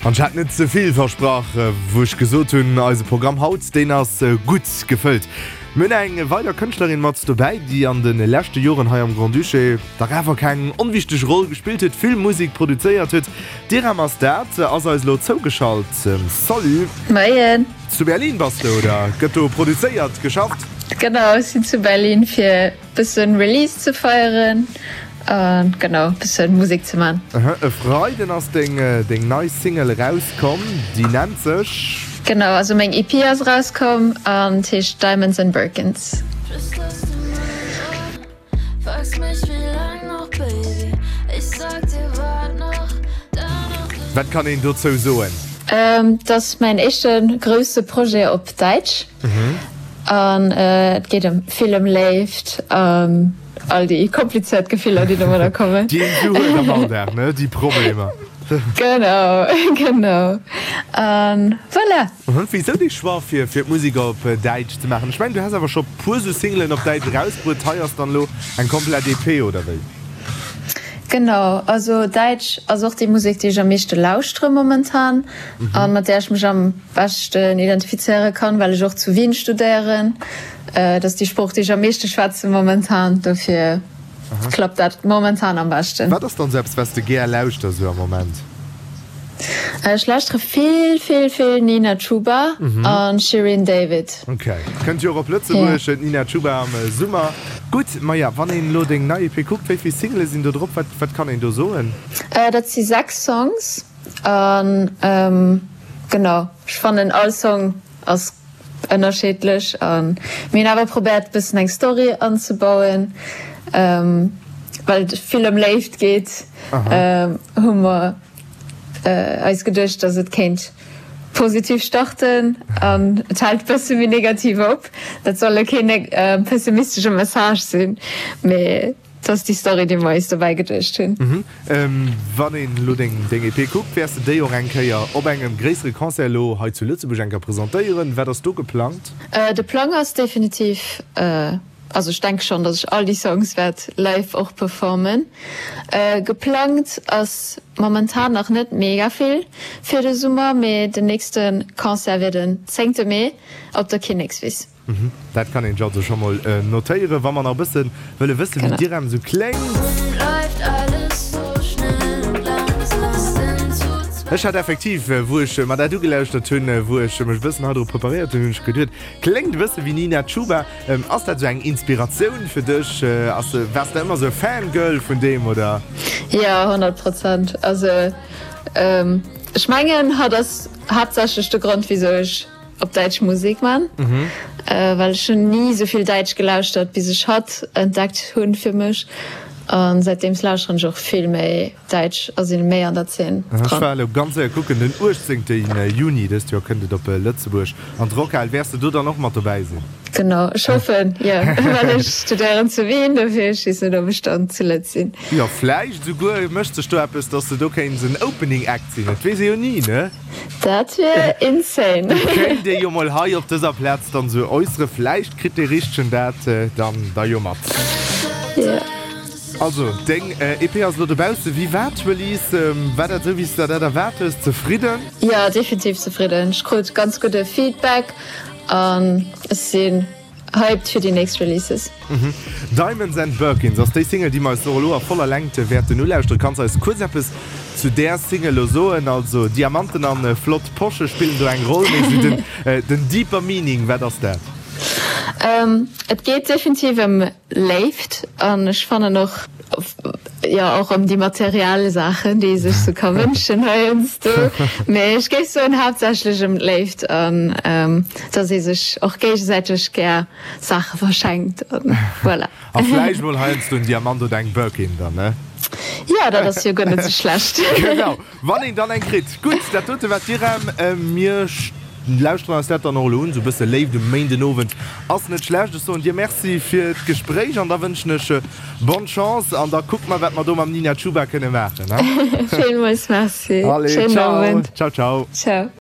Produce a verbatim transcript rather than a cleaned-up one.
An ech hat net ze vill versprach, wou ech gesot hunn, eise Programm haut, deen ass gutt gefëllt. Mir hunn eng weider Kënschtlerin mat dobäi, déi an de leschte Joren hei am Grand-Duché dach awer keng onwichteg Roll gespillt huet, vill Musek produzéiert huet. D'Irem ass dat, ass eis elo zougeschalt. Salut! Moien! Zu Berlin bass de, oder? Gëtt do produzéiert, geschafft? Genau, ech sinn zu Berlin fir bëssen Release ze feieren an genau bëssen Musek ze man. Aha, e Freiden ass deng deng nei Single erauskomm, déi nennt sech. Genau, also meng EP ass erauskomm an heescht Diamonds and Birkins. Wat kann een dozou soen? Et ass mäin éischte grousse Projet op Däitsch an et geet ëm vill ëm Léift an all déi komplizéiert Gefiller, déi domadder kommen. Déi een esou huet am Alldag, ne? Déi Problemer. Genau, genau. An voilà. Wisou dee Choix fir fir d'Musek op Däitsch ze maachen? Ech mengen, du häss awer scho puer sou Singlen op Däitsch erausbruet. Hei ass dann elo eng komplett EP, oder wéi? Genau, also Däitsch ass och déi Musek, déi ech am meeschte lauschtere momentan a mat där ech mech am beschten identifizéiere kann, well ech och zu Wien studéieren. Et ass déi Sprooch, déi ech am meeschte schwätze momentan, dofir klappt dat momentan am beschten. Wat ass dann esou eppes, wat s de gär lauschters esou am Moment? Ech lauschtere vill, vill, vill Nina Chuba a Shirin David. Ok, kënnt jo och op Lëtzebuerg, d'Nina Chuba am Summer. Gutt, maja, wann een elo deng nei EP kuckt, wéi vill Single sinn do drop? Wat, wat kann een do soen? Dat si sechs Songs an genau, ech fannen all Song ass ënnerscheedlech an mir hunn awer probéiert bëssen eng Story anzebauen, well et vill ëm Léift geet, hu mer eis geduecht, dass et kéint positiv starten an et hält bësse méi negativ op. Dat soll elo keen pessimistesche Message sinn, mee et ass déi Story, déi mer eis dobäi geduecht hunn. Wann een elo deng EP kuckt, wäers de déi och eng Kéier op engem gréissere Concert elo hei zu Lëtzebuerg eng Kéier presentéieren? Wat ass do geplangt? De Plang ass definitiv, also ech denke schonn, datt ech all déi Songs wäert live och performen. Geplangt ass momentan nach net mega vill fir de Summer, mee den nächste Concert wier den zéngte Mee op der Kinnekswiss. Dat kann een sech also scho mol notéieren, wa mer nach e bësse wëlle wëssen, wéi d'Irem esou kléngt. Ech hat effektiv, wou ech mer dat ugelauschtert hunn, wou ech mech e bëssen hei dru preparéiert hunn, hunn ech geduet, kléngt e bësse wéi Nina Chuba. Ass dat esou eng Inspiratioun fir dech? Ass, waars de ëmmer esou e Fangirl vun deem, oder? Jo, honnert Prozent. Also ech mengen, hatt ass haaptsächlech de Grond, wisou ech op däitsch Musek man, well ech hunn ni esou vill däitsch gelauschtert bis ech hatt entdeckt hunn fir mech, an säitdeems lauschteren ech och vill méi däitsch a sinn méi an der Zeen Ech dran. war elo ganz séier kucken, den uechtzéngte Juni dëst Joer kënnt et op Lëtzebuerg an d'Rockhal. Wäers de do dann och mat dobäi sinn? Genau, ech hoffen jo, well ech studéieren zu Wien, dofir ech weess net ob ech dann zu Lëtz sinn. Jo, vläicht esouguer mécht sech do eppes, dass de do kéints en Opening Act sinn, et weess ee jo ni, ne? Dat wier insane. Kéint ee jo mol hei op dëser Plaz dann esou äusseren, vläicht kritt dee Richtegen dat dann da jo mat. Jo. Also, deng EP ass elo dobaussen. Wéi war d'Release? War dat esou wéi s de der dat erwaart hues? Zefridden? Jo, definitiv zefridden. Ech krut ganz gudde Feedback an ech sinn hyped fir déi nächst Releases. Diamonds and Birkins ass déi Single, déi mer eis och elo a voller Längt wäerten ulauschteren. Kanns eis kuerz eppes zu där Single elo soen? Also Diamanten an flott Posche spillen do eng Roll, mee esou den den deeper meaning, wat ass dat? Et geet definitiv ëm Léift an ech fannen och, jo, och ëm déi materiell Saachen, déi ee sech sou ka wënschen heiansdo. Mee ech géif soen, haaptsächlech ëm d'Léift an dass ee sech och géigesäiteg gär Saache verschenkt an voilà. A vläicht mol heiansdo en Diamant oder eng Birkin dann, ne? Jo, dat ass jo guer net sou schlecht. Genau. Wann een dann eng kritt. Gutt, dat dote war d'Irem. Mir lauschteren eis dat dann och elo un. Esou e bësse Léift um Méindenowend ass net schlecht. Ech soen dir Merci fir d'Gespréich an da wënschen ech bonne Chance an da kucke mer, wat mer do mam Nina Chuba kënne maachen. Villmools Merci. Allez, Schéinen ciao. Owend. Ciao, ciao. Ciao.